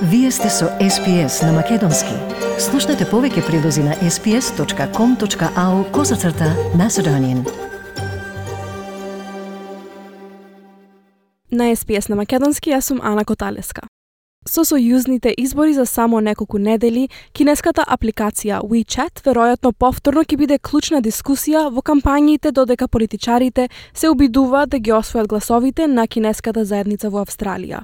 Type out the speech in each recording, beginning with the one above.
Вие сте со SPS на Македонски. Слушнете повеќе прилози на sps.com.au/Macedonian. На SPS на Македонски јас сум Ана Коталеска. Со сојузните избори за само неколку недели, кинеската апликација WeChat веројатно повторно ќе биде клучна дискусија во кампањите додека политичарите се обидуваат да ги освојат гласовите на кинеската заедница во Австралија.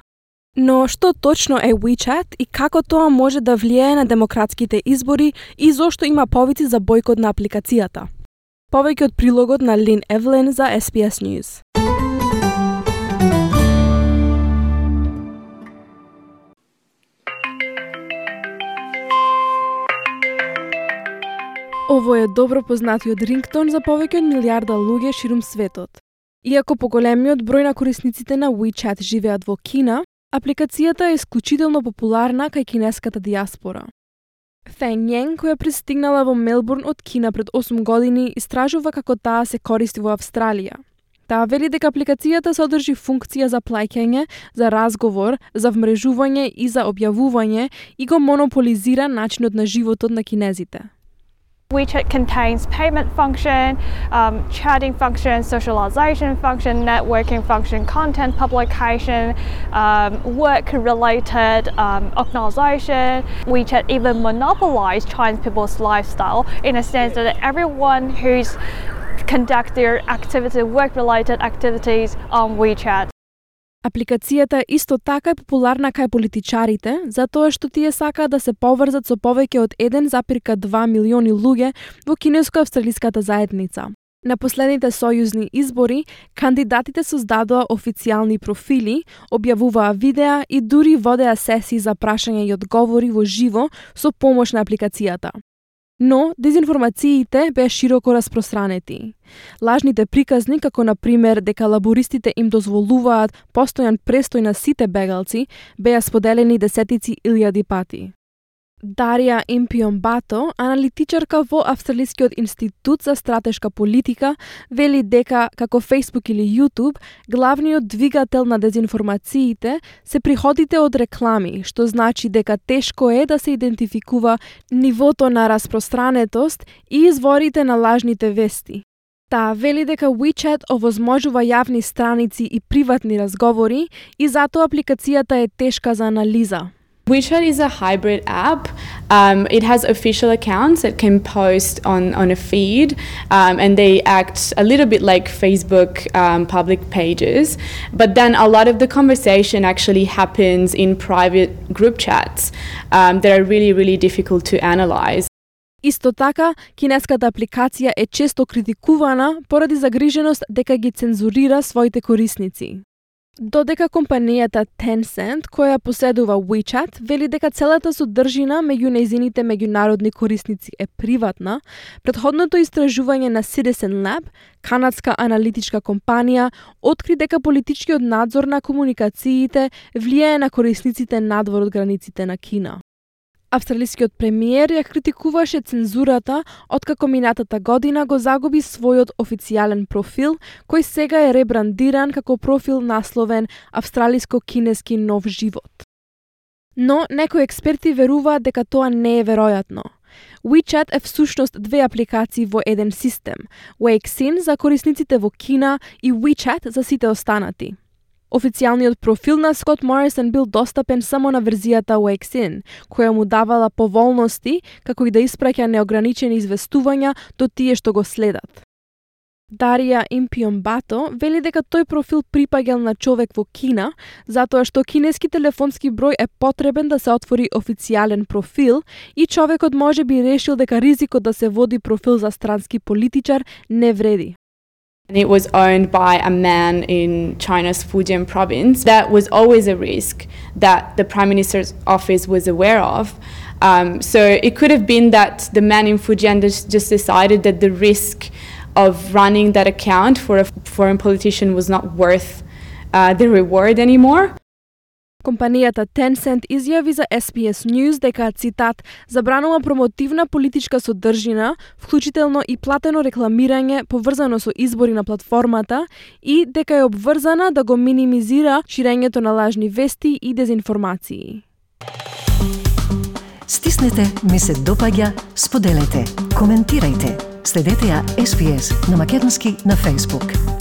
Но што точно е WeChat и како тоа може да влијае на демократските избори и зошто има повици за бојкот на апликацијата? Повеќе од прилогот на Лин Евлен за SPS News. Ово е добро познатиот рингтон за повеќе од милиарда луѓе ширум светот. Иако поголемиот број на корисниците на WeChat живеат во Кина, апликацијата е исклучително популарна кај кинеската дијаспора. Фен Јен, која пристигнала во Мелбурн од Кина пред 8 години, истражува како таа се користи во Австралија. Таа вели дека апликацијата содржи функција за плаќање, за разговор, за вмрежување и за објавување и го монополизира начинот на животот на кинезите. WeChat contains payment function, chatting function, socialization function, networking function, content publication, work-related organisation. WeChat even monopolized Chinese people's lifestyle in a sense that everyone who's conduct their activity, work-related activities on WeChat. Апликацијата исто така е популарна кај политичарите, затоа што тие сакаат да се поврзат со повеќе од 1,2 милиони луѓе во кинеско-австралиската заедница. На последните сојузни избори, кандидатите создадоа официјални профили, објавуваа видеа и дури водеа сесии за прашања и одговори во живо со помош на апликацијата. Но дезинформациите беа широко распространети. Лажните приказни, како на пример дека лабористите им дозволуваат постојан престој на сите бегалци, беа споделени десетици илјади пати. Дарија Импиомбато, аналитичарка во Австралискиот институт за стратешка политика, вели дека, како Facebook или YouTube, главниот двигател на дезинформациите се приходите од реклами, што значи дека тешко е да се идентификува нивото на распространетост и изворите на лажните вести. Таа вели дека WeChat овозможува јавни страници и приватни разговори и затоа апликацијата е тешка за анализа. WeChat is a hybrid app. It has official accounts that can post on a feed, and they act a little bit like Facebook public pages. But then a lot of the conversation actually happens in private group chats that are really, really difficult to analyze. Исто така, кинеската апликација е често критикувана поради загриженост дека ги цензурира своите корисници. Додека компанијата Tencent, која поседува WeChat, вели дека целата содржина меѓу нејзините меѓународни корисници е приватна, претходното истражување на Citizen Lab, канадска аналитичка компанија, откри дека политичкиот надзор на комуникациите влијае на корисниците надвор од границите на Кина. Австралискиот премиер ја критикуваше цензурата откако минатата година го загуби својот официјален профил, кој сега е ребрандиран како профил насловен Австралиско-кинески нов живот. Но некои експерти веруваат дека тоа не е веројатно. WeChat е всушност две апликации во еден систем, Weixin за корисниците во Кина и WeChat за сите останати. Официјалниот профил на Скот Морисон бил достапен само на верзијата Weixin, која му давала поволности, како и да испраќа неограничени известувања до тие што го следат. Дарија Импиомбато вели дека тој профил припаѓал на човек во Кина, затоа што кинески телефонски број е потребен да се отвори официјален профил и човекот може би решил дека ризикот да се води профил за странски политичар не вреди. It was owned by a man in China's Fujian province. That was always a risk that the Prime Minister's office was aware of. So it could have been that the man in Fujian just decided that the risk of running that account for a foreign politician was not worth the reward anymore. Компанијата Tencent изјави за SPS News дека, цитат, забранува промотивна политичка содржина, вклучително и платено рекламирање поврзано со избори на платформата и дека е обврзана да го минимизира ширењето на лажни вести и дезинформации. Стиснете ми се допаѓа, споделете, коментирајте. Следете ја SPS на македонски на Facebook.